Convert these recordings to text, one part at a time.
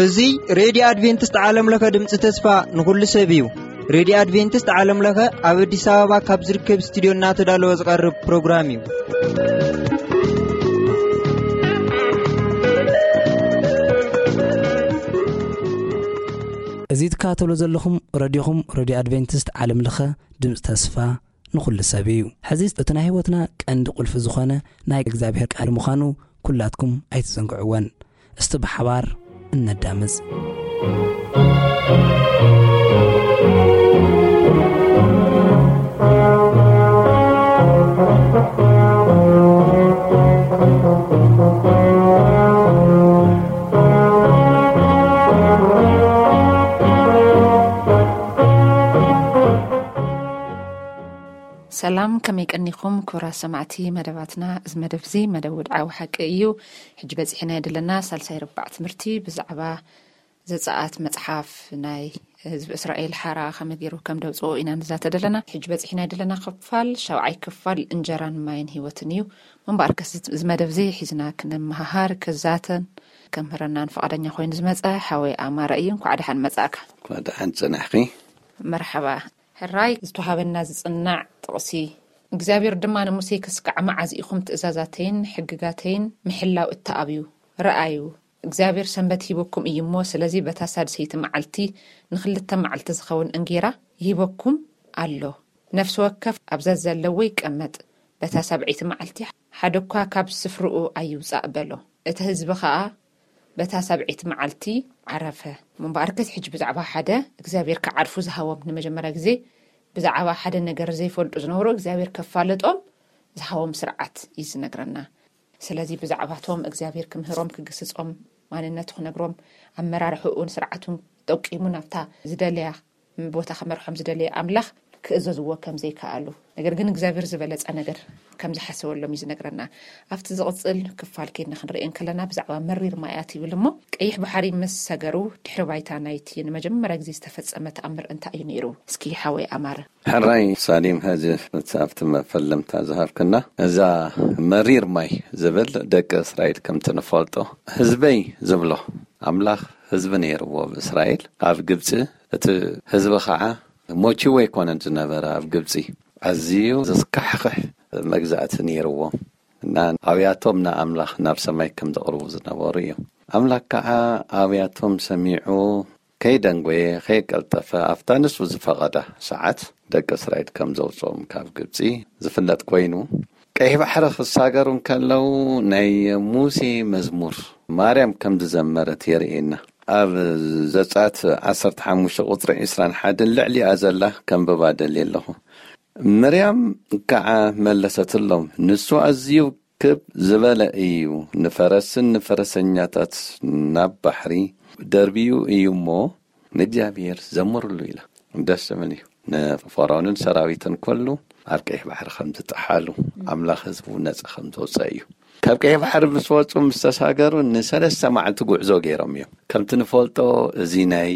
እዚ ሬድዮ ኣድቬንቲስት ዓለም ለኸ ድምፂ ተስፋ ንኹሉ ሰብ እዩ። ሬድዮ ኣድቬንቲስት ዓለም ለኸ ኣብ ኣዲስ ኣበባ ካብ ዝርከብ ስቱዲዮ እናተዳለወ ዝቐርብ ፕሮግራም እዩ። እዚ ትከታተሉ ዘለኹም ረድዮኹም ሬድዮ ኣድቬንቲስት ዓለም ለኸ ድምፂ ተስፋ ንኹሉ ሰብ እዩ። ሕዚ እቲ ናይ ህይወትና ቀንዲ ቁልፊ ዝኾነ ናይ እግዚኣብሔር ቃል ምዃኑ ኩላትኩም ኣይትዘንግዕወን። እስቲ ብሓባር እነዳምፅ። ሰላም፣ ከመይ ቀኒኹም ክቡራት ሰማዕቲ መደባትና? እዚ መደብ እዚ መደብ ውድዓዊ ሓቂ እዩ። ሕጂ በፂሕና ዘለና ሳልሳይ ርባዕ ትምህርቲ ብዛዕባ ዘፀኣት መፅሓፍ ናይ ህዝቢ እስራኤል ሓራ ከመይ ገይሩ ከም ደውፅኦ ኢና ንዛተ ዘለና። ሕጂ በፂሕና ዘለና ክፋል ሻውዓይ ክፋል እንጀራን ማይን ህይወትን እዩ። ምንባር ከስ እዚ መደብ እዚ ሒዝና ክንመሃሃር ክዛተን ከምህረናን ፈቓደኛ ኮይኑ ዝመፀ ሓወይ ኣማረ እዩ። እንኳዕ ደሓን መፃእካ። እንኳዕ ደሓን ፅናሕኺ። መርሓባ። ሕራይ ዝተዋሃበና ዝጽናዕ ጥቕሲ፣ እግዚኣብሔር ድማ ንሙሴ፣ "ክስካዕ መዓዝ ኢኹም ትእዛዛተይን ሕግጋተይን ምሕላው እተኣብዩ? ረኣዩ፣ እግዚኣብሔር ሰንበት ሂቡኩም እዩ እሞ፣ ስለዚ በታ ሳድሰይቲ መዓልቲ ንኽልተ መዓልቲ ዝኸውን እንጌራ ይሂበኩም ኣሎ። ነፍሲ ወከፍ ኣብዛ ዘለዎ ይቀመጥ፣ በታ ሳብዐይቲ መዓልቲ ሓደ እኳ ካብ ስፍርኡ ኣይውጻእ" በሎ። እቲ ህዝቢ ኸኣ በታ ሳብዐይቲ መዓልቲ ዓረፈ። እምበኣርከስ ሕጂ ብዛዕባ ሓደ እግዚኣብሔር ክዓርፉ ዝሃቦም፣ ንመጀመርያ ግዜ ብዛዕባ ሓደ ነገር ዘይፈልጡ ዝነበሩ እግዚኣብሔር ከፋልጦም ዝሃቦም ስርዓት እዩ ዝነግረና። ስለዚ ብዛዕባቶም እግዚኣብሔር ክምህሮም፣ ክግስጾም፣ ማንነቱ ክነግሮም፣ ኣመራርሕኡን ስርዓቱን ጠቂሙ ናብታ ዝደለያ ቦታ ክመርሖም ዝደለየ ኣምላኽ ክእዘዝዎ ከም ዘይከኣሉ፣ ነገር ግን እግዚኣብሔር ዝበለጸ ነገር ከም ዝሓሰበሎም እዩ ዝነግረና። ኣብቲ ዝቕጽል ክፋል ኬድና ክንርኢ እንከለና ብዛዕባ መሪር ማያት ይብል እሞ፣ ቀይሕ ባሕሪ ምስ ሰገሩ ድሕሪ ባይታ ናይቲ ንመጀመርያ ግዜ ዝተፈጸመ ተኣምር እንታይ እዩ ነይሩ? እስኪ ሓወይ ኣማረ። ሕራይ ሳሊም፣ ሕዚ እቲ ኣብቲ መፈለምታ ዝሃብክና፣ እዛ መሪር ማይ ዝብል ደቂ እስራኤል ከምቲ ንፈልጦ ህዝበይ ዝብሎ ኣምላኽ ህዝቢ ነይርዎ ኣብ እስራኤል፣ ኣብ ግብጺ። እቲ ህዝቢ ኸዓ ሞችዎ ኣይኮነን ዝነበረ ኣብ ግብጺ። ኣዝዩ ዘስካሕኽሕ መግዛእቲ ነይርዎም እና ኣብያቶም ንኣምላኽ ናብ ሰማይ ከም ዘቕርቡ ዝነበሩ እዮም። ኣምላኽ ከዓ ኣብያቶም ሰሚዑ ከይደንጎየ ከይቀልጠፈ ኣብታ ንሱ ዝፈቐዳ ሰዓት ደቂ እስራኤል ከም ዘውፅኦም ካብ ግብፂ ዝፍለጥ ኮይኑ፣ ቀይሕ ባሕሪ ክሳገሩ እንከለዉ ናይ ሙሴ መዝሙር ማርያም ከም ዝዘመረት የርእየና። ኣብ ዘጸኣት ዓሰርተ ሓሙሽተ ቁጽሪ ዕስራን ሓደን ልዕሊኣ ዘላ ከንብባ ደልየ ኣለኹ። ምርያም ከኣ መለሰትሎም፣ ንሱ ኣዝዩ ክብ ዝበለ እዩ፣ ንፈረስን ንፈረሰኛታት ናብ ባሕሪ ደርብዩ እዩ እሞ ንእግዚኣብሔር ዘምርሉ ኢላ። ደስ ዝብል እዩ። ንፈርዖንን ሰራዊትን ኩሉ ኣብ ቀይሕ ባሕሪ ከም ዝጠሓሉ፣ ኣምላኽ ህዝቡ ነጻ ከም ዘውፀ እዩ። ካብ ቀይሕ ባሕሪ ምስ ወፁ፣ ምስ ተሳገሩ፣ ንሰለስተ መዓልቲ ጉዕዞ ገይሮም እዮም። ከምቲ ንፈልጦ፣ እዚ ናይ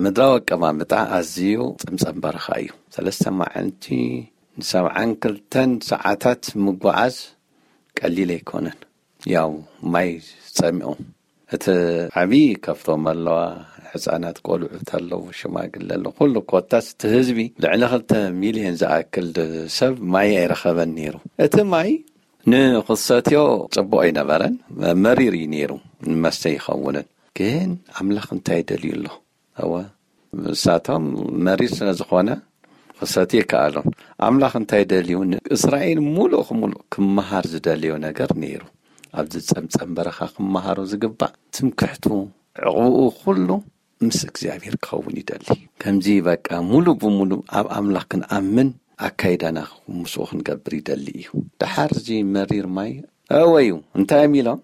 ምድራዊ ኣቀማምጣ ኣዝዩ ጸምጸም በረኻ እዩ። ሰለስተ መዓልቲ ንሰብዓን ክልተን ሰዓታት ምጉዓዝ ቀሊል ኣይኮነን። ያው ማይ ጸሚኦም። እቲ ዓብዪ ከፍቶም ኣለዋ፣ ሕፃናት ቆልዑት ኣለዉ፣ ሽማግለ ኣለዉ፣ ኩሉ ኮታስ እቲ ህዝቢ ልዕሊ ክልተ ሚልዮን ዝኣክል ሰብ ማይ ኣይረኸበን ነይሩ። እቲ ማይ ንኽሰትዮ ጽቡቕ ኣይነበረን፣ መሪር እዩ ነይሩ፣ ንመስተ ይኸውንን። ግን ኣምላኽ እንታይ ደልዩ ኣሎ? እወ፣ ንሳቶም መሪር ስለ ዝኾነ ክሰትዩ ኣይከኣሉን። ኣምላኽ እንታይ ደልዩ? ንእስራኤል ሙሉእ ክሙሉእ ክመሃር ዝደልዮ ነገር ነይሩ። ኣብዚ ጸምጸም በረኻ ክመሃሮ ዝግባእ ትምክሕቱ፣ ዕቕብኡ ኩሉ ምስ እግዚኣብሔር ክኸውን ይደሊ። ከምዚ በቃ ሙሉ ብሙሉ ኣብ ኣምላኽ ክንኣምን ኣካይዳና ምስኡ ክንገብር ይደሊ እዩ። ደሓር እዚ መሪር ማይ እወ እዩ። እንታይ እዮም ኢሎም?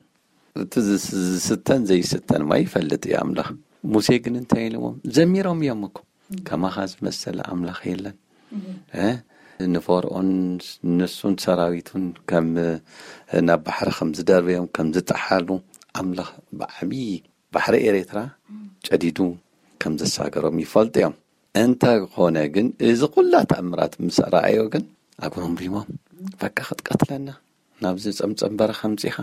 እቲ ዝስ-፣ ዝስተን ዘይስተን ማይ ይፈልጥ እዩ ኣምላኽ። ሙሴ ግን እንታይ ኢልዎም? ዘሚሮም እዮም እኮ። ከማኻ ዝመሰለ ኣምላኽ የለን። እ? ንፈርዖን ንሱን ሰራዊቱን ከም ናብ ባሕሪ ከም ዝደርበዮም፣ ከም ዝጠሓሉ ኣምላኽ ብዓብዪ ባሕሪ ኤርትራ ጨዲዱ ከም ዘሳገሮም ይፈልጡ እዮም። እንተ ኾነ ግን፣ እዚ ኩላ ተኣምራት ምስ ረኣዮ ግን፣ ኣጉረምሪሞም፣ በቃ ክትቀትለና ናብዚ ጸምጸም በረኻ ኣምጺኻ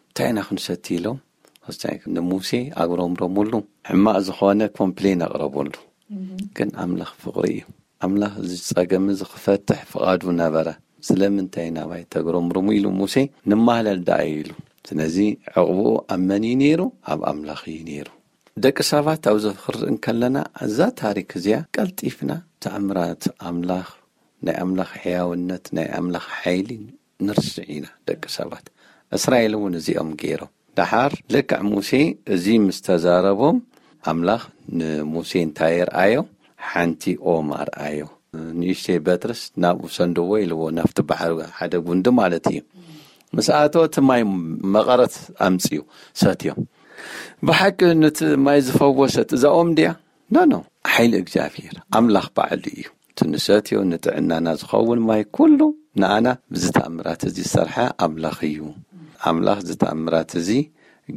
እንታይ ኢና ክንሰቲ ኢሎም፣ ንሙሴ ኣጉረምረሙሉ። ሕማቕ ዝኾነ ኮምፕሌን ኣቕረበሉ። ግን ኣምላኽ ፍቕሪ እዩ። ኣምላኽ እዚ ጸገም እዚ ክፈትሕ ፍቓዱ ነበረ። ስለምንታይ ናባይ ተጉረምርሙ ኢሉ ሙሴ ንማህለል ደኣ ኢሉ። ስለዚ ዕቕብኡ ኣብ መን እዩ ነይሩ? ኣብ ኣምላኽ እዩ ነይሩ። ደቂ ሰባት ኣብዚ ክርኢ እንከለና፣ እዛ ታሪክ እዚኣ ቀልጢፍና ተኣምራት ኣምላኽ፣ ናይ ኣምላኽ ሕያውነት፣ ናይ ኣምላኽ ሓይሊ ንርስዕ ኢና ደቂ ሰባት። እስራኤል እውን እዚኦም ገይሮም። ደሓር ልክዕ ሙሴ እዚ ምስ ተዛረቦም፣ ኣምላኽ ንሙሴ እንታይ የርኣዮ? ሓንቲ ኦም ኣርኣዮ። ንእሽተይ በትርስ ናብኡ ሰንድዎ ኢልዎ፣ ናብቲ ባሕሪ ሓደ ጉንዲ ማለት እዩ። ምስ ኣተወ እቲ ማይ መቐረት ኣምጽኡ ሰትዮም። ብሓቂ ነቲ ማይ ዝፈወሰት እዛ ኦም ድያ? ኖ፣ ኖ፣ ሓይሊ እግዚኣብሔር ኣምላኽ ባዕሉ እዩ። እቲ ንሰትዮ ንጥዕናና ዝኸውን ማይ ኩሉ ንኣና ብዚ ተኣምራት እዚ ዝሰርሐ ኣምላኽ እዩ። ኣምላኽ እዚ ተኣምራት እዚ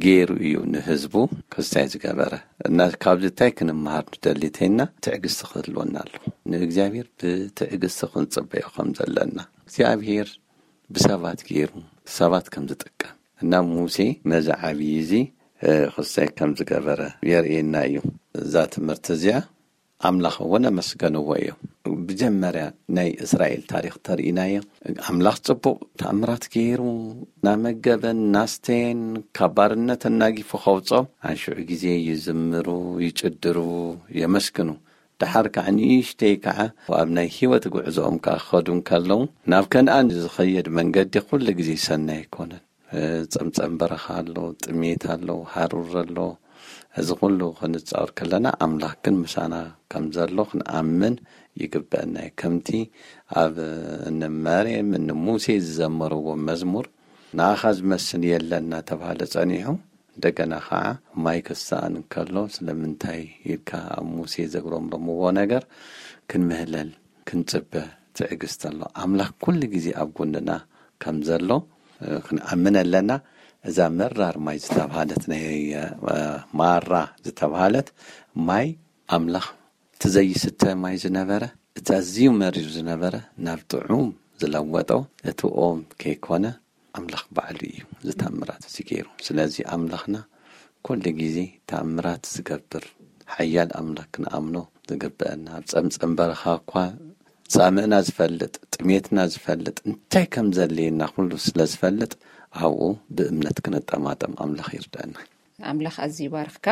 ገይሩ እዩ ንህዝቡ ክስታይ ዝገበረ። እና ካብዚ እንታይ ክንምሃር ንደሊ እንተይልና፣ ትዕግስቲ ክህልወና ኣለዎ። ንእግዚኣብሔር ብትዕግስቲ ክንጽበዮ ከም ዘለና። እግዚኣብሔር ብሰባት ገይሩ ሰባት ከም ዝጥቀም እና ሙሴ ነዚ ዓብዪ እዚ፣ እ፣ ክስታይ ከም ዝገበረ የርእየና እዩ። እዛ ትምህርቲ እዚኣ ኣምላኽ እውን ኣመስገንዎ እዮም። ብጀመርያ ናይ እስራኤል ታሪኽ ተርእናዮ፣ ኣምላኽ ጽቡቕ ተኣምራት ገይሩ፣ እናመገበን እናስተየን ካብ ባርነት ኣናጊፉ ከውጾም፣ ኣንሽዑ ግዜ ይዝምሩ፣ ይጭድሩ፣ የመስግኑ። ደሓር ከዓ ንእሽተይ ከዓ ኣብ ናይ ህይወት ጉዕዞኦም ከዓ ክኸዱ እንከለዉ፣ ናብ ከነኣን ዝኸየድ መንገዲ ኩሉ ግዜ ሰናይ ኣይኮነን። ጸምጸም በረኻ ኣሎ፣ ጥሜት ኣሎ፣ ሃሩር ኣሎ። እዚ ኩሉ ክንጻወር ከለና ኣምላኽ ግን ምሳና ከም ዘሎ ክንኣምን ይግበአና እዩ። ከምቲ ኣብ እኒ መርየም፣ እኒ ሙሴ ዝዘመርዎ መዝሙር፣ "ንኣኻ ዝመስል የለን" እናተባህለ ጸኒሑ፣ እንደገና ኸዓ ማይ ክሰኣን እንከሎ፣ ስለምንታይ ኢልካ ኣብ ሙሴ ዘጉረምረምዎ ነገር ክንምህለል ክንጽበ ትዕግስቲ ኣሎ። ኣምላኽ ኩሉ ግዜ ኣብ ጎንና ከም ዘሎ፣ እ፣ ክንኣምን ኣለና። እዛ መራር ማይ ዝተባህለት ናይ፣ እ፣ ማራ ዝተባህለት ማይ ኣምላኽ እቲ ዘይስተ ማይ ዝነበረ፣ እቲ ኣዝዩ መሪር ዝነበረ ናብ ጥዑም ዝለወጦ እቲ ኦም ከይኮነ ኣምላኽ ባዕሉ እዩ እዚ ተኣምራት እዚ ገይሩ። ስለዚ ኣምላኽና ኩሉ ግዜ ተኣምራት ዝገብር ሓያል ኣምላኽ ክንኣምኖ ዝግበአና። ኣብ ጸምጸም በረኻ እኳ ጻምእና ዝፈልጥ፣ ጥሜትና ዝፈልጥ፣ እንታይ ከም ዘድልየና ኩሉ ስለ ዝፈልጥ፣ ኣብኡ ብእምነት ክንጠማጠም ኣምላኽ ይርዳእና። ኣምላኽ ኣዝዩ ይባርኽካ።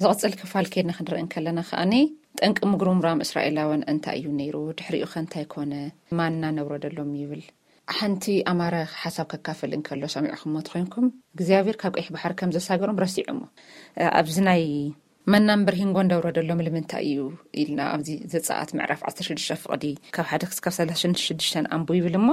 ዝቕጽል ክፋል ኬድና ክንርኢ እንከለና ከኣኒ፣ ጠንቂ ምጉርምራም እስራኤላውያን እንታይ እዩ ነይሩ? ድሕሪኡ ኸ እንታይ ኮነ? ማና ነውረደሎም ይብል። ሓንቲ ኣማረ ሓሳብ ከካፍል እንከሎ ሰሚዕኹሞ ተኾይንኩም፣ እግዚኣብሔር ካብ ቀይሕ ባሕሪ ከም ዘሳገሮም ረሲዖሞ። ኣብዚ ናይ መናን በርሂን ጎንዳ ውረደሎም ንምንታይ እዩ ኢልና ኣብዚ ዘጸኣት ምዕራፍ ዓሰርተ ሽዱሽተ ፍቕዲ ካብ ሓደ ክሳብ ሰላሳ ሽዱሽተ ኣንቡ ይብል እሞ፣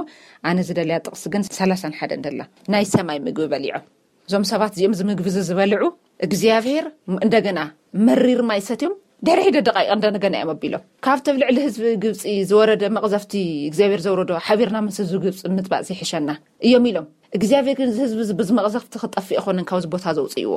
ኣነ ዝደልያ ጥቕሲ ግን ሰላሳን ሓደን ደላ። ናይ ሰማይ ምግቢ በሊዖም። እዞም ሰባት እዚኦም እዚ ምግቢ እዚ ዝበልዑ እግዚኣብሔር እንደገና መሪር ማይ ሰትዮም ድሕሪ ሒደ ደቃይቕ እንደገና እዮም ኣቢሎም። ካብቲ ኣብ ልዕሊ ህዝቢ ግብፂ ዝወረደ መቕዘፍቲ እግዚኣብሔር ዘውረዶ ሓቢርና ምስ ህዝቢ ግብፂ ምጥባእ ዘይሕሸና እዮም ኢሎም። እግዚኣብሔር ግን እዚ ህዝቢ እዚ ብዚ መቕዘፍቲ ክጠፍእ ኣይኮነን ካብዚ ቦታ ዘውፅእዎ።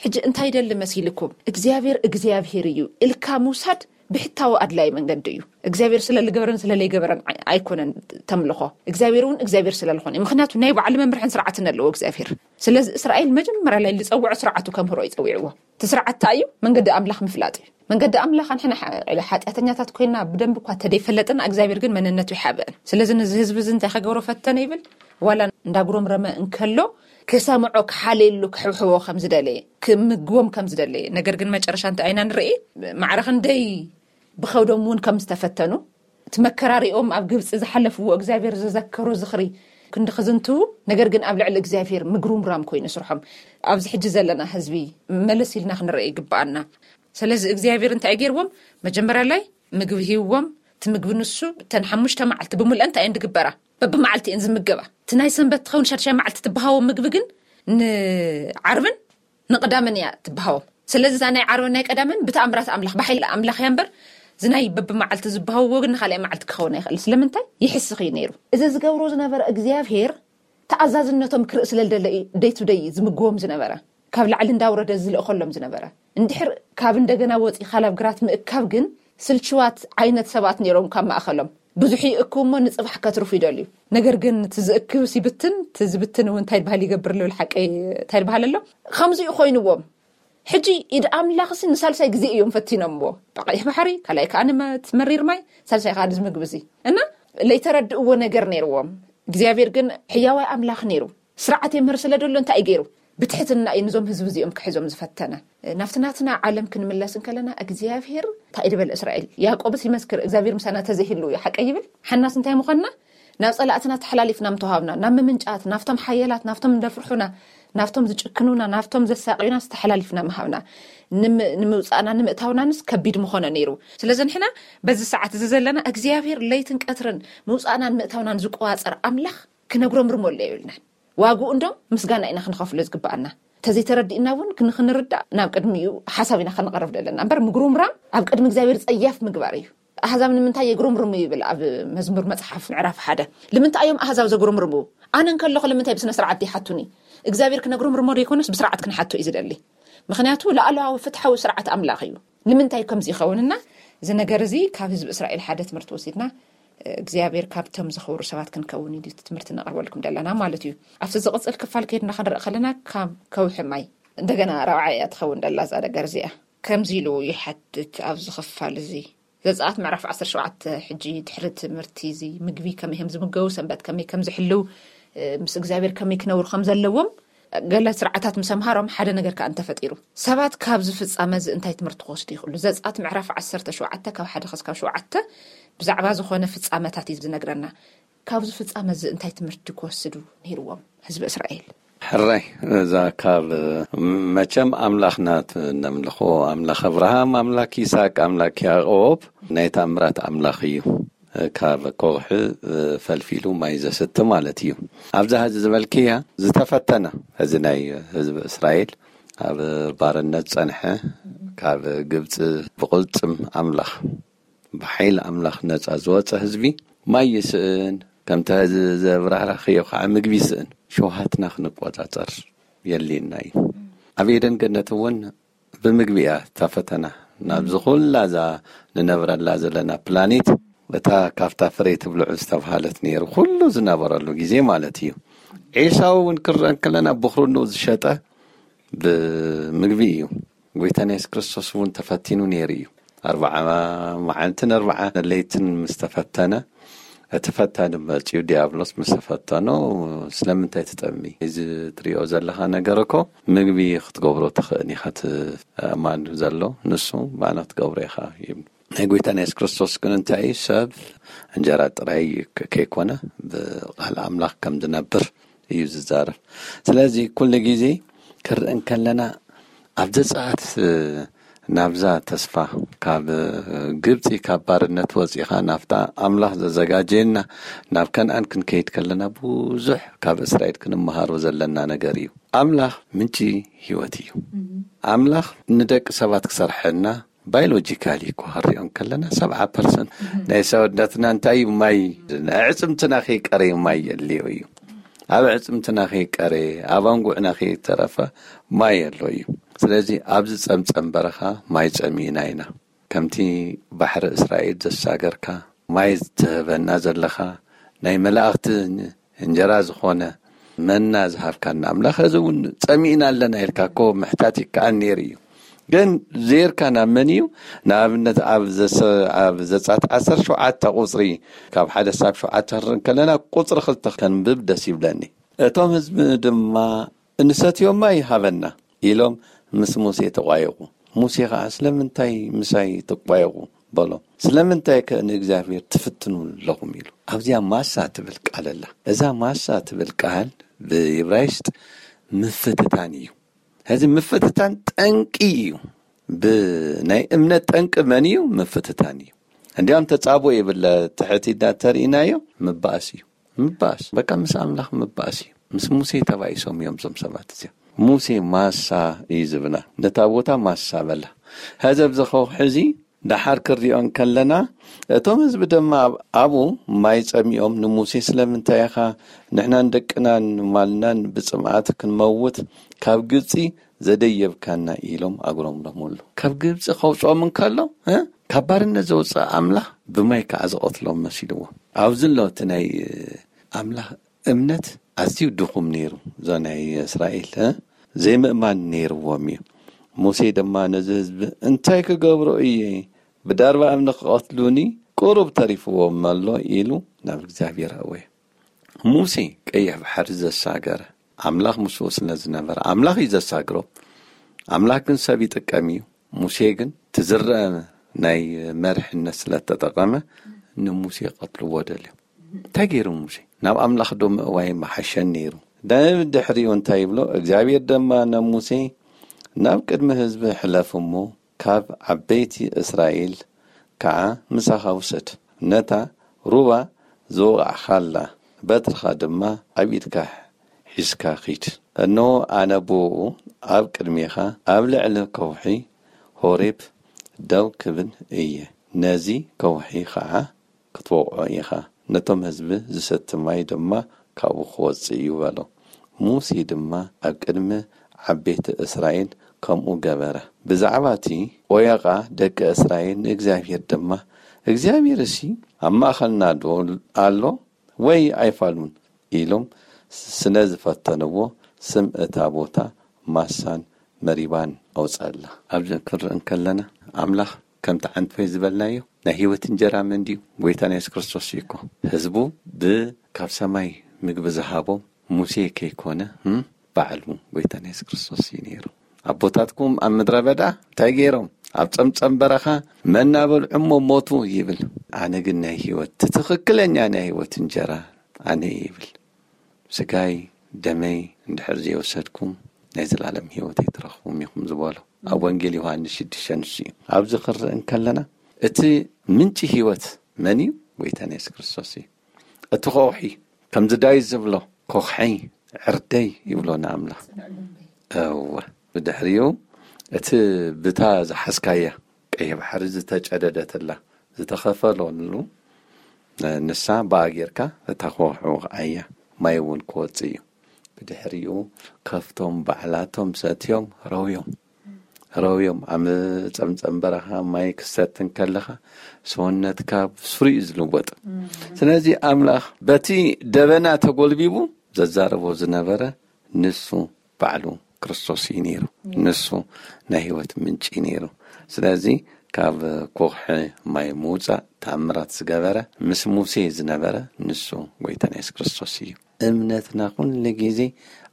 ሕጂ እንታይ ይደሊ መሲልኩም? እግዚኣብሔር እግዚኣብሔር እዩ ኢልካ ምውሳድ ብሕታዊ ኣድላይ መንገዲ እዩ። እግዚኣብሔር ስለ ልገብረን ስለ ለይገበረን ኣይ-፣ ኣይኮነን ተምልኾ። እግዚኣብሔር እውን እግዚኣብሔር ስለ ልኾነ እዩ። ምኽንያቱ ናይ ባዕሉ መምርሕን ስርዓትን ኣለዎ እግዚኣብሔር። ስለዚ እስራኤል መጀመርያ ላይ ልፀውዖ ስርዓቱ ከምህሮ ይፀዊዕዎ። እቲ ስርዓት እንታይ እዩ? መንገዲ ኣምላኽ ምፍላጥ እዩ። መንገዲ ኣምላኽ ንሕና ሓ-፣ ሓጢኣተኛታት ኮይና ብደንብ እኳ ተደይፈለጥና እግዚኣብሔር ግን መንነቱ ይሓብአን። ስለዚ ነዚ ህዝቢ እዚ እንታይ ከገብሮ ፈተነ ይብል? ዋላ እንዳጉረምረመ እንከሎ ክሰምዖ ክሓልየሉ ክሕብሕቦ ከም ዝደለየ ክምግቦም ከም ዝደለየ። ነገር ግን መጨረሻ እንታይ ኢና ንርኢ? ማዕረ ክንደይ ብኸብዶም እውን ከም ዝተፈተኑ፣ እቲ መከራሪኦም ኣብ ግብፂ ዝሓለፍዎ እግዚኣብሔር ዝዘከሩ ዝኽሪ ክንዲ ክዝንትዉ፣ ነገር ግን ኣብ ልዕሊ እግዚኣብሔር ምግሩምራም ኮይኑ ስርሖም። ኣብዚ ሕጂ ዘለና ህዝቢ መለስ ኢልና ክንርኢ ይግብኣና። ስለዚ እግዚኣብሔር እንታይ ገይርዎም? መጀመርያ ላይ ምግቢ ሂብዎም። እቲ ምግቢ ንሱ እተን ሓሙሽተ መዓልቲ ብምልአን እንታይ እየን ዝግበራ? በብመዓልቲ እየን ዝምገባ። እቲ ናይ ሰንበት ትኸውን ሻድሻይ መዓልቲ ትበሃዎም ምግቢ ግን ንዓርብን ንቐዳምን እያ ትበሃዎም። ስለዚ እዛ ናይ ዓርብን ናይ ቀዳምን ብተኣምራት ኣምላኽ፣ ብሓይሊ ኣምላኽ እያ እምበር፣ እዚ ናይ በብመዓልቲ ዝበሃውዎ ግን ንኻልኣይ መዓልቲ ክኸውን ኣይኽእል። ስለምንታይ? ይሕስኽ እዩ ነይሩ። እዚ ዝገብሮ ዝነበረ እግዚኣብሔር ተኣዛዝነቶም ክርኢ ስለ ዝደለ እዩ ደይ ቱ ደይ ዝምግቦም ዝነበረ። ካብ ላዕሊ እንዳውረደ ዝልእኸሎም ዝነበረ። እንድሕር ካብ እንደገና ወፂኻ ናብ ግራት ምእካብ ግን ስልችዋት ዓይነት ሰባት ነይሮም ካብ ማእኸሎም። ብዙሕ ይእክቡ እሞ ንፅባሕ ከትርፉ ይደልዩ። ነገር ግን እቲ ዝእክብስ ይብትን፣ እቲ ዝብትን እውን እንታይ ይበሃል ይገብር ልብል ሓቀይ እንታይ ይበሃል ኣሎ። ከምዚኡ ኮይንዎም። ሕጂ ኢድ ኣምላኽሲ ንሳልሳይ ግዜ እዮም ፈቲኖምዎ። ብቐይሕ ባሕሪ፣ ካልኣይ ከኣ ንመ-፣ እቲ መሪር ማይ፣ ሳልሳይ ከኣ እዚ ምግቢ እዚ። እና ለይተረድእዎ ነገር ነይርዎም። እግዚኣብሔር ግን ሕያዋይ ኣምላኽ ነይሩ። ስርዓት የምህር ስለ ደሎ እንታይ እዩ ገይሩ? ብትሕትና እዩ ንዞም ህዝቢ እዚኦም ክሕዞም ዝፈተነ። ናብቲ ናትና ዓለም ክንምለስ እንከለና እግዚኣብሔር እንታይ እዩ ዝበለ? እስራኤል፣ ያዕቆብስ ይመስክር እግዚኣብሔር ምሳና ተዘይህሉ እዩ ሓቀ ይብል። ሓናስ እንታይ ምዃንና ናብ ጸላእትና ተሓላሊፍና ምተዋሃብና፣ ናብ ምምንጫት፣ ናብቶም ሓያላት፣ ናብቶም እንደፍርሑና፣ ናብቶም ዝጭክኑና፣ ናብቶም ዘሳቅዩና ዝተሓላሊፍና ምሃብና። ንም-፣ ንምውጻእና ንምእታውናንስ ከቢድ ምኾነ ነይሩ። ስለዚ ንሕና በዚ ሰዓት እዚ ዘለና እግዚኣብሔር ለይትን ቀትርን ምውጻእናን ምእታውናን ዝቆዋጸር ኣምላኽ ክነጉረምርመሉ የብልናን። ዋግኡ እንዶ ምስጋና ኢና ክንኸፍሎ ዝግብኣና። ተዘይተረዲእና እውን ክን-፣ ክንርዳእ ናብ ቅድሚኡ ሓሳብ ኢና ክንቐርብ ዘለና። እምበር ምጉርምራም ኣብ ቅድሚ እግዚኣብሔር ጸያፍ ምግባር እዩ። ኣህዛብ ንምንታይ የጉረምርሙ ይብል ኣብ መዝሙር መጽሓፍ ምዕራፍ ሓደ። ንምንታይ እዮም ኣህዛብ ዘጉረምርሙ? ኣነ እንከለኹ ንምንታይ ብስነ ስርዓት ዘይሓቱኒ? እግዚኣብሔር ክነጉረምርሞ ዶ ይኮነስ ብስርዓት ክንሓቶ እዩ ዝደሊ? ምኽንያቱ ላዕለዋዊ ፍትሓዊ ስርዓት ኣምላኽ እዩ። ንምንታይ ከምዚ ይኸውንና? እዚ ነገር እዚ ካብ ህዝቢ እስራኤል ሓደ ትምህርቲ ወሲድና፣ እግዚኣብሔር ካብቶም ዘኽብሩ ሰባት ክንከውን እዩ እቲ ትምህርቲ ነቕርበልኩም ዘለና ማለት እዩ። ኣብቲ ዝቕጽል ክፋል ከይድና ክንርኢ ከለና ካብ ከውሒ ማይ እንደገና ራብዓ እያ ትኸውን ደላ እዛ ነገር እዚኣ። ከምዚ ኢሉ ይሓትት ኣብዚ ክፋል እዚ። ዘጸኣት ምዕራፍ ዓሰርተ ሸውዓተ። ሕጂ ድሕሪ ትምህርቲ እዚ ምግቢ ከመይ ከም ዝምገቡ፣ ሰንበት ከመይ ከም ዝሕልው፣ እ፣ ምስ እግዚኣብሔር ከመይ ክነብሩ ከም ዘለዎም ገለ ስርዓታት ምስ ኣምሃሮም ሓደ ነገር ከኣ እንተፈጢሩ። ሰባት ካብዚ ፍጻመ እዚ እንታይ ትምህርቲ ክወስዱ ይኽእሉ? ዘጸኣት ምዕራፍ ዓሰርተ ሸውዓተ ካብ ሓደ ክሳብ ሸውዓተ ብዛዕባ ዝኾነ ፍጻመታት እዩ ዝነግረና። ካብዚ ፍጻመ እዚ እንታይ ትምህርቲ ክወስዱ ነይርዎም ህዝቢ እስራኤል? ሕራይ፣ እዛ ካብ መቸም ኣምላኽና ት-፣ ነምልኾ፣ ኣምላኽ እብርሃም፣ ኣምላኽ ይስሐቅ፣ ኣምላኽ ያዕቆብ ናይ ተኣምራት ኣምላኽ እዩ። ካብ ኮኽሒ ፈልፊሉ ማይ ዘስቲ ማለት እዩ። ኣብዛ ሕዚ ዝበልክያ ዝተፈተነ፣ እዚ ናይ ህዝቢ እስራኤል ኣብ ባርነት ጸንሐ፣ ካብ ግብጺ ብቕልጽም ኣምላኽ፣ ብሓይሊ ኣምላኽ ነጻ ዝወጸ ህዝቢ ማይ ይስእን፣ ከምቲ ሕዚ ዘብራህራኽዮ ከዓ ምግቢ ይስእን። ሸውሃትና ክንቆጻጸር የድልየና እዩ። ኣብ ኤደን ገነት እውን ብምግቢ እያ እታ ፈተና። ናብዚ ኩላ እዛ ንነብረላ ዘለና ፕላኔት፣ እታ ካብታ ፍሬ ትብልዑ ዝተብሃለት ነይሩ፣ ኩሉ ዝነበረሉ ግዜ ማለት እዩ። ኤሳው እውን ክረአ እንከለና ብኹርኑ ዝሸጠ ብምግቢ እዩ። ጎይታና የሱስ ክርስቶስ እውን ተፈቲኑ ነይሩ እዩ። ኣርብዓ መዓልትን ኣርብዓ ለይትን ምስ ተፈተነ፣ እቲ ፈታኒ መጺኡ ዲያብሎስ ምስ ተፈተኖ፣ "ስለምንታይ ትጠሚ? እዚ ትሪኦ ዘለኻ ነገር እኮ ምግቢ ክትገብሮ ትኽእል ኢኻ፣ እቲ ኣማን ዘሎ ንሱ ባና ክትገብሮ ኢኻ" ይብሉ። ናይ ጎይታና የሱስ ክርስቶስ ግን እንታይ እዩ? ሰብ እንጀራ ጥራይ ከ-፣ ከይኮነ ብቃል ኣምላኽ ከም ዝነብር እዩ ዝዛረብ። ስለዚ ኩሉ ግዜ ክርኢ እንከለና ኣብ ዘጸኣት ናብዛ ተስፋ ካብ ግብጺ ካብ ባርነት ወጺኻ ናብታ ኣምላኽ ዘዘጋጀየና ናብ ከነኣን ክንከይድ ከለና ብዙሕ ካብ እስራኤል ክንመሃሮ ዘለና ነገር እዩ። ኣምላኽ ምንጪ ህይወት እዩ። ኣምላኽ ንደቂ ሰባት ክሰርሐና ባዮሎጂካሊ እኮ ክንሪኦ እንከለና ሰብዓ ፐርሰንት ናይ ሰውነትና እንታይ እዩ? ማይ። ኣዕጽምትና ከይቀረዩ ማይ የድልዮ እዩ። ኣብ ኣዕጽምትና ከይቀረየ፣ ኣብ ኣንጉዕና ከይተረፈ ማይ ኣሎ እዩ። ስለዚ ኣብዚ ጸምጸም በረኻ ማይ ጸሚእና ኢና። ከምቲ ባሕሪ እስራኤል ዘሳገርካ፣ ማይ ትህበና ዘለኻ፣ ናይ መላእኽቲ እንጀራ ዝኾነ መና ዝሃብካና ኣምላኽ፣ እዚ እውን ጸሚእና ኣለና ኢልካ እኮ ምሕታት ይከኣል ነይሩ እዩ። ግን ዜርካ ናብ መን እዩ? ንኣብነት ኣብ ዘሰ-፣ ኣብ ዘጸኣት ዓሰርተ ሸውዓተ ቁጽሪ፣ ካብ ሓደ ሳብ ሸውዓተ ክንርኢ ከለና፣ ቁጽሪ ክልተ ከንብብ ደስ ይብለኒ። "እቶም ህዝቢ ድማ እንሰትዮ ማይ ሃበና" ኢሎም ምስ ሙሴ ተቋየቑ። ሙሴ ኸዓ፣ "ስለምንታይ ምሳይ ትቋየቑ?" በሎም። "ስለምንታይ ከ ንእግዚኣብሔር ትፍትኑ ኣለኹም?" ኢሉ። ኣብዚኣ ማሳ ትብል ቃል ኣላ። እዛ ማሳ ትብል ቃል ብዕብራይስጥ ምፍትታን እዩ። ሕዚ ምፍትታን ጠንቂ እዩ። ብናይ እምነት ጠንቂ መን እዩ? ምፍትታን እዩ። እንዲያም ተጻቦ ይብለ ትሕቲ እንዳተርእናዮ ምባእስ እዩ። ምባእስ፣ በቃ ምስ ኣምላኽ ምባእስ እዩ። ምስ ሙሴ ተባኢሶም እዮም እዞም ሰባት እዚኦም። ሙሴ ማሳ እዩ ዝብላ። ነታ ቦታ ማሳ በላ። ሕዚ ኣብዚ ከውሒ እዚ ደሓር ክሪኦ እንከለና፣ እቶም ህዝቢ ድማ ኣብ-፣ ኣብኡ ማይ ጸሚኦም፣ ንሙሴ፣ "ስለምንታይ ኢኻ ንሕናን ደቅናን ማልናን ብጽምኣት ክንመውት ካብ ግብጺ ዘደየብካና?" ኢሎም ኣጉረምረሙሉ። ካብ ግብጺ ከውጽኦም እንከሎ፣ እ፣ ካብ ባርነት ዘውፅእ ኣምላኽ ብማይ ከዓ ዝቐትሎም መሲልዎ። ኣብዚ ኣሎ እቲ ናይ ኣምላኽ እምነት ኣዝዩ ድኹም ነይሩ። እዛ ናይ እስራኤል ዘይምእማን ነይርዎም እዩ። ሙሴ ድማ ነዚ ህዝቢ እንታይ ክገብሮ እየ? ብዳርባ እምኒ ክቐትሉኒ ቁሩብ ተሪፍዎም ኣሎ ኢሉ ናብ እግዚኣብሔር ኣወየ። ሙሴ ቀይሕ ባሕሪ ዘሳገረ ኣምላኽ ምስኡ ስለ ዝነበረ ኣምላኽ እዩ ዘሳግሮ። ኣምላኽ ግን ሰብ ይጥቀም እዩ። ሙሴ ግን ትዝረአ ናይ መርሕነት ስለ ተጠቐመ ንሙሴ ቀትልዎ ደልዮም። እንታይ ገይሩ ሙሴ? ናብ ኣምላኽ ዶ ምእዋይ መሓሸን ነይሩ? ድሕሪኡ እንታይ ይብሎ እግዚኣብሔር ድማ ንሙሴ ናብ ቅድሚ ህዝቢ ሕለፍ እሞ ካብ ዓበይቲ እስራኤል ከዓ ምሳኻ ውሰድ። ነታ ሩባ ዝወቓዕኻላ በትርኻ ድማ ኣብ ኢድካ ሒዝካ ኺድ። እነሆ ኣነ ብኡ ኣብ ቅድሜኻ ኣብ ልዕሊ ከውሒ ሆሬብ ደው ክብል እየ። ነዚ ከውሒ ኸዓ ክትወቕዖ ኢኻ። ነቶም ህዝቢ ዝሰቲ ማይ ድማ ካብኡ ክወጽእ እዩ በሎ። ሙሴ ድማ ኣብ ቅድሚ ዓበይቲ እስራኤል ከምኡ ገበረ። ብዛዕባ እቲ ቆየቓ ደቂ እስራኤል ንእግዚኣብሔር ድማ እግዚኣብሔር እሲ ኣብ ማእኸልና ዶ ኣሎ ወይ ኣይፋሉን ኢሎም ስለ ዝፈተንዎ ስም እታ ቦታ ማሳን መሪባን ኣውፀላ። ኣብዚ ክንርኢ እንከለና ኣምላኽ ከምቲ ዓንትወይ ዝበልናዮ ናይ ህይወት እንጀራ መን ድዩ? ጎይታና የሱስ ክርስቶስ እዩ እኮ። ህዝቡ ብ ካብ ሰማይ ምግቢ ዝሃቦም ሙሴ ከይኮነ ባዕሉ ጎይታና የሱስ ክርስቶስ እዩ ነይሩ። ኣቦታትኩም ኣብ ምድረ በዳ እንታይ ገይሮም? ኣብ ጸምጸም በረኻ መና በልዑ እሞ ሞቱ ይብል። ኣነ ግን ናይ ህይወት ትኽክለኛ ናይ ህይወት እንጀራ ኣነ ይብል። ስጋይ ደመይ እንድሕር ዘይወሰድኩም ናይ ዘላለም ህይወት ኣይትረኽቡም ኢኹም ዝበሎ ኣብ ወንጌል ዮሃንስ ሽዱሽተ ንሱ እዩ። ኣብዚ ክርኢ እንከለና እቲ ምንጪ ህይወት መን እዩ? ጎይታና የሱስ ክርስቶስ እዩ። እቲ ከውሒ ከምዚ ዳዊት ዝብሎ ኮኽሐይ ዕርደይ ይብሎ ንኣምላኽ። እወ ብድሕሪኡ እቲ ብታ ዝሓዝካያ ቀይሕ ባሕሪ ዝተጨደደትላ ዝተኸፈለሉ ንሳ ብኣ ጌርካ እታ ከውሒ ወቕዓያ ማይ እውን ክወፅእ እዩ። ብድሕሪኡ ከፍቶም ባዕላቶም ሰትዮም ረውዮም ረውዮም ኣብ ጸምጸም በረኻ ማይ ክሰቲ እንከለኻ ሰውነትካ ብስሩ እዩ ዝልወጥ። ስለዚ ኣምላኽ በቲ ደበና ተጎልቢቡ ዘዛረቦ ዝነበረ ንሱ ባዕሉ ክርስቶስ እዩ ነይሩ። ንሱ ናይ ህይወት ምንጪ እዩ ነይሩ። ስለዚ ካብ ኮኽሒ ማይ ምውፃእ ተኣምራት ዝገበረ ምስ ሙሴ ዝነበረ ንሱ ጎይታና የሱስ ክርስቶስ እዩ። እምነትና ኩሉ ግዜ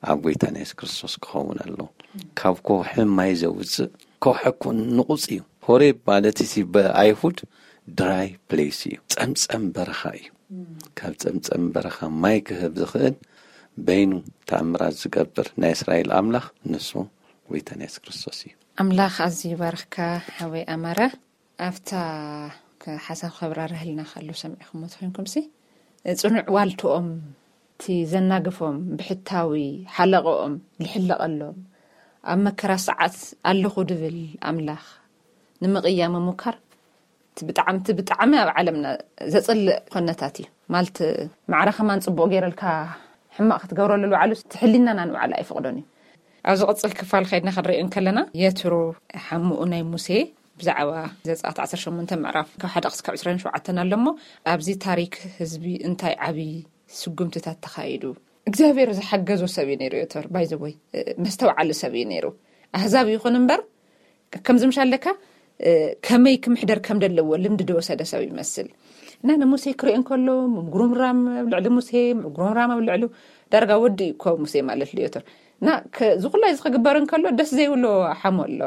ኣብ ጎይታና የሱስ ክርስቶስ ክኸውን ኣለዎ። ካብ ኮኽሒ ማይ ዘውፅእ ኮኽሒ እኮ ንቑፅ እዩ። ሆሬብ ማለት እቲ ብኣይሁድ ድራይ ፕሌስ እዩ፣ ጸምጸም በረኻ እዩ። ካብ ጸምጸም በረኻ ማይ ክህብ ዝኽእል በይኑ ተኣምራት ዝገብር ናይ እስራኤል ኣምላኽ ንሱ ጎይታና የሱስ ክርስቶስ እዩ። ኣምላኽ ኣዝዩ ይባርኽካ ሓወይ ኣማረ። ኣብታ ሓሳብ ከብራርህልና ከሎ ሰሚዕኹሞ ተኾይንኩምሲ፣ ጽኑዕ ዋልትኦም፣ እቲ ዘናግፎም ብሕታዊ ሓለቕኦም ልሕለቐሎም፣ ኣብ መከራ ሰዓት ኣለኹ ድብል ኣምላኽ ንምቕያ ምሙካር፣ እቲ ብጣዕሚ እቲ ብጣዕሚ ኣብ ዓለምና ዘጽልእ ኮነታት እዩ። ማለት ማዕረ ከማን ጽቡቕ ገይረልካ ሕማቕ ክትገብረሉ ልባዕሉ እቲ ሕሊናና ንባዕሉ ኣይፈቕዶን እዩ። ኣብ ዝቕጽል ክፋል ከይድና ክንሪኦ እንከለና የትሮ ሓሙኡ ናይ ሙሴ ብዛዕባ ዘጸኣት ዓሰርተ ሸሞንተ ምዕራፍ ካብ ሓደ ክስካብ ዕስራን ሸውዓተን ኣሎ እሞ ኣብዚ ታሪክ ህዝቢ እንታይ ዓብዪ ስጉምትታት ተኻይዱ? እግዚኣብሔር ዝሓገዞ ሰብ እዩ ነይሩ። ዮቶር ባይዘወይ መስተውዓሊ ሰብ እዩ ነይሩ። ኣህዛብ ይኹን እምበር ከምዚ ምሻለካ ከመይ ክምሕደር ከም ዘለዎ ልምዲ ዝወሰደ ሰብ ይመስል። እና ንሙሴ ክሪኦ እንከሎ ምጉርምራም ኣብ ልዕሊ ሙሴ ምጉርምራም ኣብ ልዕሉ ዳርጋ ወዲ እዩ እኮ ሙሴ ማለት ልዮቶር። እና እዚ ኩላ እዚ ክግበር እንከሎ ደስ ዘይብሎ ሓሞ ኣሎ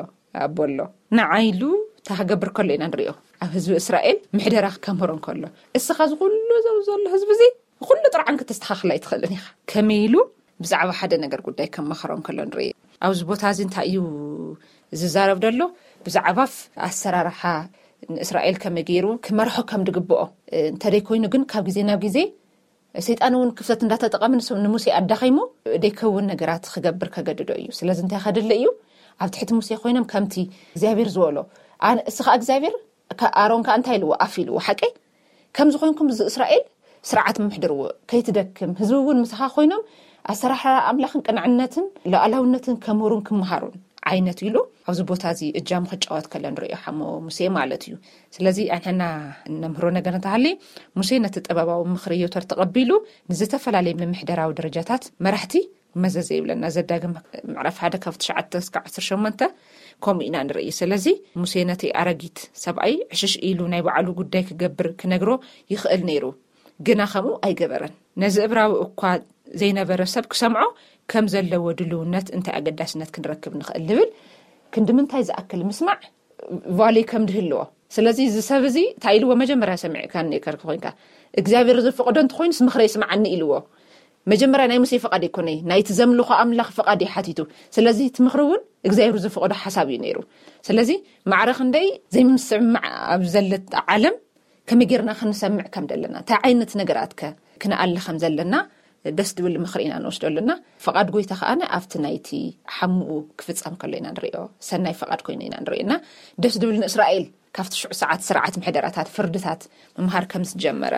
ኣቦ ኣሎ። ንዓይሉ ታክገብር ከሎ ኢና ንሪኦ። ኣብ ህዝቢ እስራኤል ምሕደራ ከምህሮ እንከሎ እስኻ ዝኩሉ ዘው ዘሎ ህዝቢ እዚ ኩሉ ጥርዓን ክተስተኻኽል ኣይትኽእልን ኢኻ። ከመይ ኢሉ ብዛዕባ ሓደ ነገር ጉዳይ ከማኽሮ እንከሎ ንርኢ። ኣብዚ ቦታ እዚ እንታይ እዩ ዝዛረብ ዘሎ? ብዛዕባ ኣሰራርሓ ንእስራኤል ከመይ ገይሩ ክመርሖ ከም ድግብኦ፣ እንተደይ ኮይኑ ግን ካብ ግዜ ናብ ግዜ ሰይጣን እውን ክፍተት እንዳተጠቐመ ንሱ ንሙሴ ኣዳኺሙ ደይከውን ነገራት ክገብር ከገድዶ እዩ። ስለዚ እንታይ ከድሊ እዩ? ኣብ ትሕቲ ሙሴ ኮይኖም ከምቲ እግዚኣብሔር ዝበሎ፣ ኣነ እስኻ እግዚኣብሔር፣ ኣሮን ከኣ እንታይ ኢልዎ? ኣፍ ኢልዎ። ሓቀይ ከምዚ ኮይንኩም እዚ እስራኤል ስርዓት ምሕድርዎ ከይትደክም፣ ህዝቢ እውን ምሳኻ ኮይኖም ኣሰራርሓ ኣምላኽን ቅንዕነትን ሉዓላውነትን ከምህሩን ክምሃሩን ዓይነት ኢሉ ኣብዚ ቦታ እዚ እጃሙ ክጫወት ከሎ ንርእዮ ሓሞ ሙሴ ማለት እዩ። ስለዚ ኣንሕና እነምህሮ ነገር እንተሃልዩ፣ ሙሴ ነቲ ጥበባዊ ምኽሪ ዮቶር ተቐቢሉ ንዝተፈላለየ ምምሕደራዊ ደረጃታት መራሕቲ መዘዘ ይብለና። ዘዳግም ምዕራፍ ሓደ ካብ ትሽዓተ እስካብ ዓሰርተ ሸሞንተ ከምኡ ኢና ንርኢ። ስለዚ ሙሴ ነቲ ኣረጊት ሰብኣይ ዕሽሽ ኢሉ ናይ ባዕሉ ጉዳይ ክገብር ክነግሮ ይኽእል ነይሩ። ግና ከምኡ ኣይገበረን። ነዚ እብራዊ እኳ ዘይነበረ ሰብ ክሰምዖ ከም ዘለዎ ድልውነት እንታይ ኣገዳስነት ክንረክብ ንኽእል ንብል ክንዲ ምንታይ ዝኣክል ምስማዕ ቫሌ ከም ድህልዎ። ስለዚ እዚ ሰብ እዚ እንታይ ኢልዎ? መጀመርያ ሰሚዕካ ኔከርክ ኮይንካ እግዚኣብሔር ዝፈቕዶ እንተኮይኑስ ምኽረ ይስምዓኒ ኢልዎ። መጀመርያ ናይ ሙሴ ፍቓድ ኣይኮነይ፣ ናይቲ ዘምልኾ ኣምላኽ ፍቓድ እዩ ሓቲቱ። ስለዚ እቲ ምኽሪ እውን እግዚኣብሔር ዝፈቕዶ ሓሳብ እዩ ነይሩ። ስለዚ ማዕረ ክንደይ ዘይምስምማዕ ኣብ ዘለታ ዓለም ከመይ ጌርና ክንሰምዕ ከም ዘለና፣ እንታይ ዓይነት ነገራት ከ ክንኣሊ ከም ዘለና ደስ ድብል ምኽሪ ኢና ንወስደሉና። ፍቓድ ጎይታ ከኣነ ኣብቲ ናይቲ ሓምኡ ክፍጸም ከሎ ኢና ንርእዮ። ሰናይ ፍቓድ ኮይኑ ኢና ንርእዮ። እና ደስ ድብል ንእስራኤል ካብቲ ሽዑ ሰዓት ስርዓት ምሕደራታት ፍርድታት ምምሃር ከም ዝጀመረ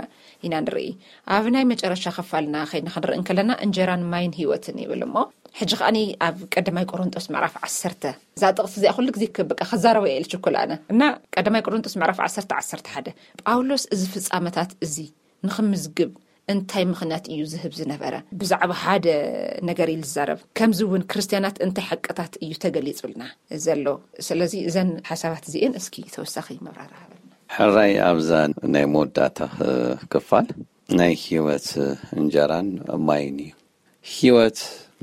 ኢና ንርኢ። ኣብ ናይ መጨረሻ ክፋልና ከይድና ክንርኢ እንከለና እንጀራን ማይን ህይወትን ይብል እሞ፣ ሕጂ ከኣኒ ኣብ ቀዳማይ ቆሮንጦስ ምዕራፍ ዓሰርተ እዛ ጥቕሲ እዚኣ ኩሉ ግዜ ክብቃ ክዛረቦ እየ ኢልችኩል ኣነ። እና ቀዳማይ ቆሮንጦስ ምዕራፍ ዓሰርተ ዓሰርተ ሓደ ጳውሎስ እዚ ፍጻመታት እዚ ንኽምዝግብ እንታይ ምኽንያት እዩ ዝህብ ዝነበረ? ብዛዕባ ሓደ ነገር እዩ ዝዛረብ። ከምዚ እውን ክርስትያናት እንታይ ሓቅታት እዩ ተገሊጹልና ዘሎ? ስለዚ እዘን ሓሳባት እዚኤን እስኪ ተወሳኺ መብራሪ ሃበልና። ሕራይ ኣብዛ ናይ መወዳእታ ክፋል ናይ ህይወት እንጀራን ማይን እዩ። ህይወት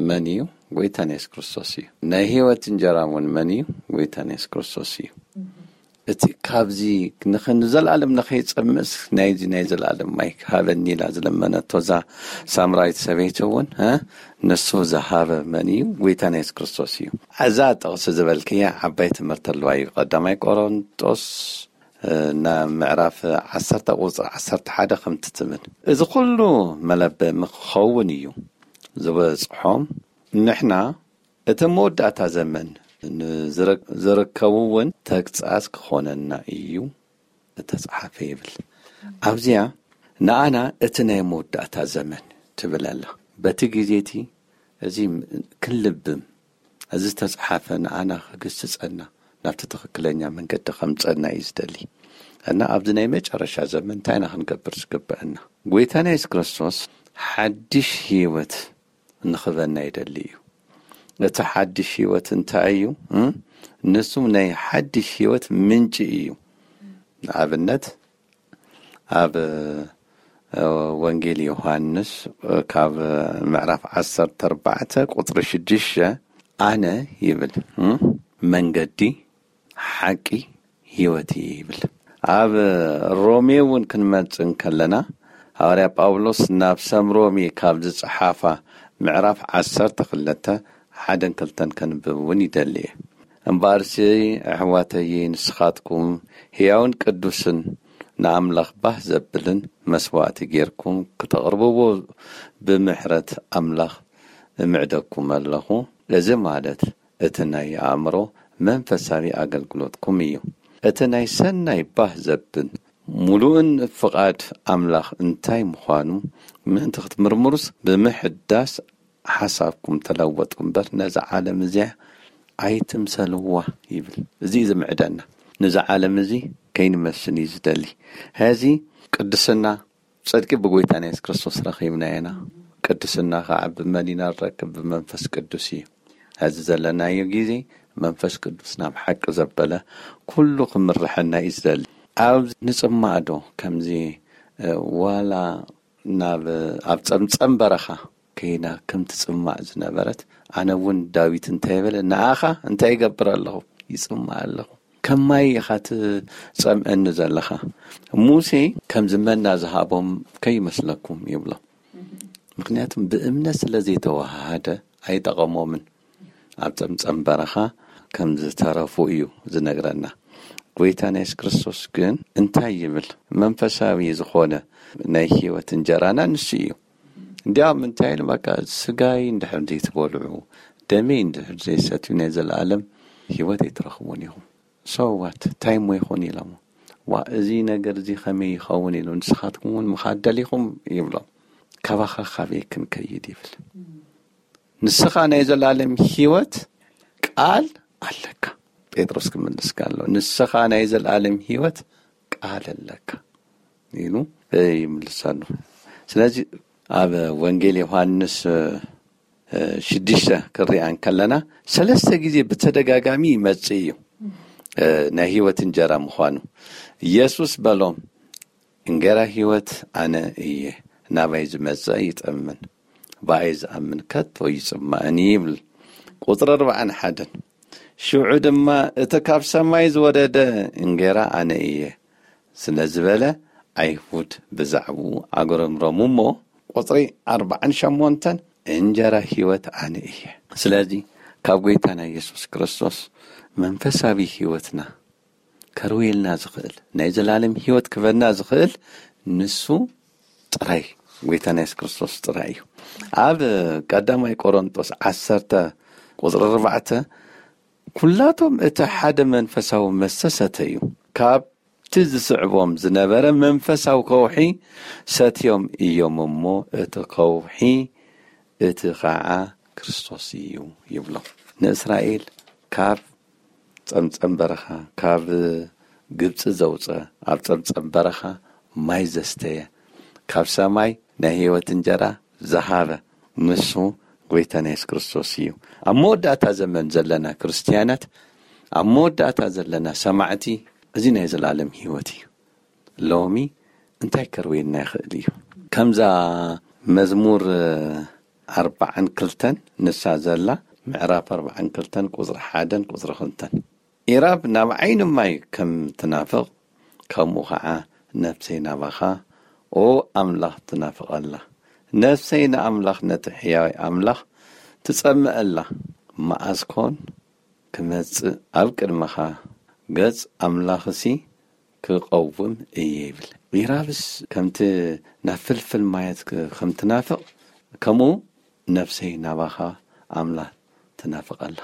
መን እዩ? ጎይታን የሱስ ክርስቶስ እዩ። ናይ ህይወት እንጀራ እውን መን እዩ? ጎይታን የሱስ ክርስቶስ እዩ። እቲ ካብዚ ንኸ ንዘለኣለም ንኸይጸምእስ ናይዚ ናይ ዘለኣለም ማይ ሃበኒ ኢላ ዝለመነቶ እዛ ሳምራዊት ሰበይቲ እውን፣ እ፣ ንሱ ዝሃበ መን እዩ? ጎይታን የሱስ ክርስቶስ እዩ። እዛ ጥቕሲ ዝበልክያ ዓባይ ትምህርቲ ኣለዋ እዩ። ቀዳማይ ቆሮንጦስ፣ እ፣ ናብ ምዕራፍ ዓሰርተ ቁጽሪ ዓሰርተ ሓደ ከምቲ ትብል፣ እዚ ኩሉ መለበሚ ክኸውን እዩ ዝበጽሖም። ንሕና እቲ መወዳእታ ዘመን ንዝረ-፣ ዝርከቡ እውን ተግጻጽ ክኾነና እዩ እተጻሓፈ ይብል። ኣብዚኣ ንኣና እቲ ናይ መወዳእታ ዘመን ትብል ኣላ። በቲ ግዜ እቲ እዚ ክንልብም፣ እዚ ዝተጻሓፈ ንኣና ክግስጸና፣ ናብቲ ትኽክለኛ መንገዲ ከምጸና እዩ ዝደሊ። እና ኣብዚ ናይ መጨረሻ ዘመን እንታይ ኢና ክንገብር ዝግበአና? ጎይታና የሱስ ክርስቶስ ሓድሽ ህይወት ንኽበና ይደሊ እዩ። እቲ ሓድሽ ህይወት እንታይ እዩ? እ? ንሱ ናይ ሓድሽ ህይወት ምንጪ እዩ። ንኣብነት ኣብ፣ እ፣ ወንጌል ዮሃንስ፣ እ፣ ካብ ምዕራፍ ዓሰርተ ኣርባዕተ ቁጽሪ ሽዱሽተ ኣነ ይብል፣ እ፣ መንገዲ፣ ሓቂ፣ ህይወት ይብል። ኣብ ሮሜ እውን ክንመጽእ እንከለና፣ ሃዋርያ ጳውሎስ ናብ ሰብ ሮሜ ካብ ዝጸሓፋ ምዕራፍ ዓሰርተ ክልተ ሓደን ክልተን ከንብብ እውን ይደሊ እየ። እምበኣርሲ ኣሕዋተይ፣ ንስኻትኩም ህያውን ቅዱስን ንኣምላኽ ባህ ዘብልን መስዋእቲ ጌርኩም ክተቕርብዎ ብምሕረት ኣምላኽ እምዕደኩም ኣለኹ። እዚ ማለት እቲ ናይ ኣእምሮ መንፈሳዊ ኣገልግሎትኩም እዩ። እቲ ናይ ሰናይ ባህ ዘብል ምሉእን ፍቓድ ኣምላኽ እንታይ ምዃኑ ምእንቲ ክትምርምሩስ፣ ብምሕዳስ ሓሳብኩም ተለወጡ እምበር፣ ነዛ ዓለም እዚኣ ኣይትምሰልዋ ይብል። እዚ እዩ ዝምዕደና። ነዛ ዓለም እዚ ከይንመስል እዩ ዝደሊ። ሕዚ ቅድስና፣ ጽድቂ ብጎይታና የሱስ ክርስቶስ ረኺብና ኢና። ቅድስና ከዓ ብመን ኢና ንረክብ? ብመንፈስ ቅዱስ እዩ። ሕዚ ዘለናዮ ግዜ መንፈስ ቅዱስ ናብ ሓቂ ዘበለ ኩሉ ክምርሐና እዩ ዝደሊ። ኣብ ንጽማእ ዶ ከምዚ፣ እ፣ ዋላ ናብ፣ ኣብ ጸምጸም በረኻ ከይና ከም ትጽማእ ዝነበረት፣ ኣነ እውን ዳዊት እንታይ በለ? ንኣኻ እንታይ ይገብር ኣለኹ? ይጽማእ ኣለኹ። ከም ማይ ኢኻ ትጸምአኒ ዘለኻ። ሙሴ ከምዚ መና ዝሃቦም ከይመስለኩም ይብሎ። ምኽንያቱም ብእምነት ስለ ዘይተወሃሃደ ኣይጠቐሞምን። ኣብ ጸምጸም በረኻ ከም ዝተረፉ እዩ ዝነግረና። ጎይታና የሱስ ክርስቶስ ግን እንታይ ይብል? መንፈሳዊ ዝኾነ ናይ ህይወት እንጀራና ንሱ እዩ። እንዲያውም እንታይ ኢሉ? በቃ፣ ስጋይ እንድሕር ዘይትበልዑ፣ ደመይ እንድሕር ዘይሰትዩ ናይ ዘለኣለም ህይወት ኣይትረኽቡን ኢኹም። So what? እንታይ እሞ ይኹን ኢሎሞ። ዋ፣ እዚ ነገር እዚ ከመይ ይኸውን ኢሉ፣ ንስኻትኩም እውን ምኻድ ደሊኹም ይብሎም። ካባኻ ካበይ ክንከይድ ይብል። ንስኻ ናይ ዘለኣለም ህይወት ቃል ኣለካ። ጴጥሮስ ክምልስ ከሎ፣ "ንስኻ ናይ ዘለኣለም ህይወት ቃል ኣለካ" ኢሉ ይምልሰሉ። ስለዚ ኣብ ወንጌል ዮሃንስ፣ እ፣ ሽዱሽተ ክንሪኣ እንከለና፣ ሰለስተ ግዜ ብተደጋጋሚ ይመጽእ እዩ፣ እ፣ ናይ ህይወት እንጀራ ምዃኑ። ኢየሱስ በሎም፣ "እንጌራ ህይወት ኣነ እየ፣ ናባይ ዝመጽእ ይጠምን፣ ብኣይ ዝኣምን ከቶ ይጽማእን" ይብል። ቁጽሪ ኣርባዓን ሓደን፣ ሽዑ ድማ፣ "እቲ ካብ ሰማይ ዝወረደ እንጌራ ኣነ እየ" ስለ ዝበለ፣ ኣይሁድ ብዛዕባኡ ኣጉረምረሙ እሞ፣ ቁጽሪ ኣርባዓን ሸሞንተን፣ "እንጀራ ህይወት ኣነ እየ።" ስለዚ፣ ካብ ጐይታና ኢየሱስ ክርስቶስ መንፈሳዊ ህይወትና ከርውየልና ዝኽእል፣ ናይ ዘላለም ህይወት ክበና ዝኽእል ንሱ ጥራይ፣ ጐይታና የሱስ ክርስቶስ ጥራይ እዩ። ኣብ ቀዳማይ ቆሮንጦስ ዓሰርተ ቁጽሪ ኣርባዕተ፣ "ኩላቶም እቲ ሓደ መንፈሳዊ መስተ ሰተዩ፣ ካብቲ ዝስዕቦም ዝነበረ መንፈሳዊ ከውሒ ሰትዮም እዮም እሞ፣ እቲ ከውሒ እቲ ኸዓ ክርስቶስ እዩ" ይብሎ። ንእስራኤል ካብ ጸምጸም በረኻ፣ ካብ ግብጺ ዘውጸ፣ ኣብ ጸምጸም በረኻ ማይ ዘስተየ፣ ካብ ሰማይ ናይ ህይወት እንጀራ ዝሃበ ንሱ ጐይታና የሱስ ክርስቶስ እዩ። ኣብ መወዳእታ ዘመን ዘለና ክርስትያናት፣ ኣብ መወዳእታ ዘለና ሰማዕቲ፣ እዚ ናይ ዘላለም ህይወት እዩ። ሎሚ እንታይ ከርውየና ይኽእል እዩ? ከምዛ መዝሙር ኣርባዓን ክልተን ንሳ ዘላ፣ ምዕራፍ ኣርባዓን ክልተን ቁጽሪ ሓደን ቁጽሪ ክልተን፣ "ኢራብ ናብ ዓይኒ ማይ ከም ትናፍቕ፣ ከምኡ ኸዓ ነፍሰይ ናባኻ፣ ኦ ኣምላኽ፣ ትናፍቐላ። ነፍሰይ ንኣምላኽ፣ ነቲ ሕያዋይ ኣምላኽ ትጸምእ ኣላ። መኣስ ኮን ክመጽእ ኣብ ቅድመኻ፣ ገጽ ኣምላኽሲ ክቐውም እየ" ይብል። ኢራብስ ከምቲ ናብ ፍልፍል ማያት ክ-፣ ከም ትናፍቕ፣ ከምኡ ነፍሰይ ናባኻ ኣምላኽ ትናፍቕ ኣላ።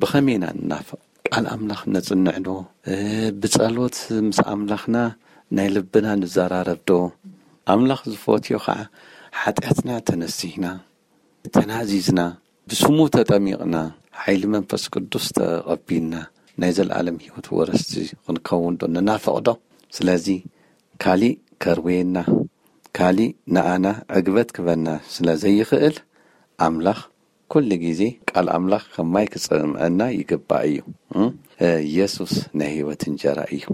ብኸመይ ኢና ንናፍቕ? ቃል ኣምላኽ ነጽንዕ ዶ? እ፣ ብጸሎት ምስ ኣምላኽና ናይ ልብና ንዘራረብ ዶ? ኣምላኽ ዝፈትዮ ኸዓ፣ ሓጢኣትና ተነሲህና፣ ተናዚዝና፣ ብስሙ ተጠሚቕና፣ ሓይሊ መንፈስ ቅዱስ ተቐቢልና፣ ናይ ዘለኣለም ህይወት ወረስቲ ክንከውን ዶ ንናፍቕ ዶ? ስለዚ፣ ካሊእ ከርውየና፣ ካሊእ ንኣና ዕግበት ክበና ስለ ዘይኽእል፣ ኣምላኽ ኩሉ ግዜ ቃል ኣምላኽ ከም ማይ ክጸምአና ይግባእ እዩ። እም፣ የሱስ ናይ ህይወት እንጀራ እዩ።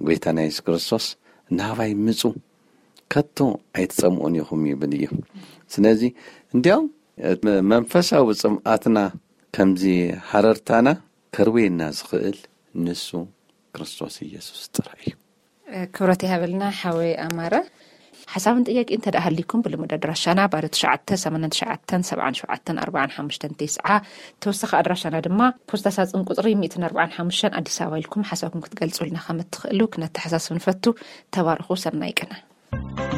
ጎይታና የሱስ ክርስቶስ፣ "ናባይ ምጹ፣ ከቶ ኣይትጸምኡን ኢኹም" ይብል እዩ። ስለዚ፣ እንዲያውም፣ መንፈሳዊ ጽምኣትና ከምዚ ሃረርታና ከርውየና ዝኽእል ንሱ ክርስቶስ ኢየሱስ ጥራይ እዩ። ክብረት ይሃበልና ሓወይ ኣማረ። ሓሳብን ጥያቄ እንተ ደኣ ሃሊኩም፣ ብልሙድ ኣድራሻና ባዶ ትሽዓተ ሰማንያን ትሽዓተን ሰብዓን ሸውዓተን ኣርባዓን ሓሙሽተን ተስዓ፣ ተወሳኺ ኣድራሻና ድማ ፖስታ ሳጽን ቁጽሪ ሚእትን ኣርባዓን ሓሙሽተን ኣዲስ ኣበባ ኢልኩም ሓሳብኩም ክትገልጹልና ከም እትኽእሉ ክነተሓሳስብ ንፈቱ። ተባረኹ። ሰናይ ቅነ።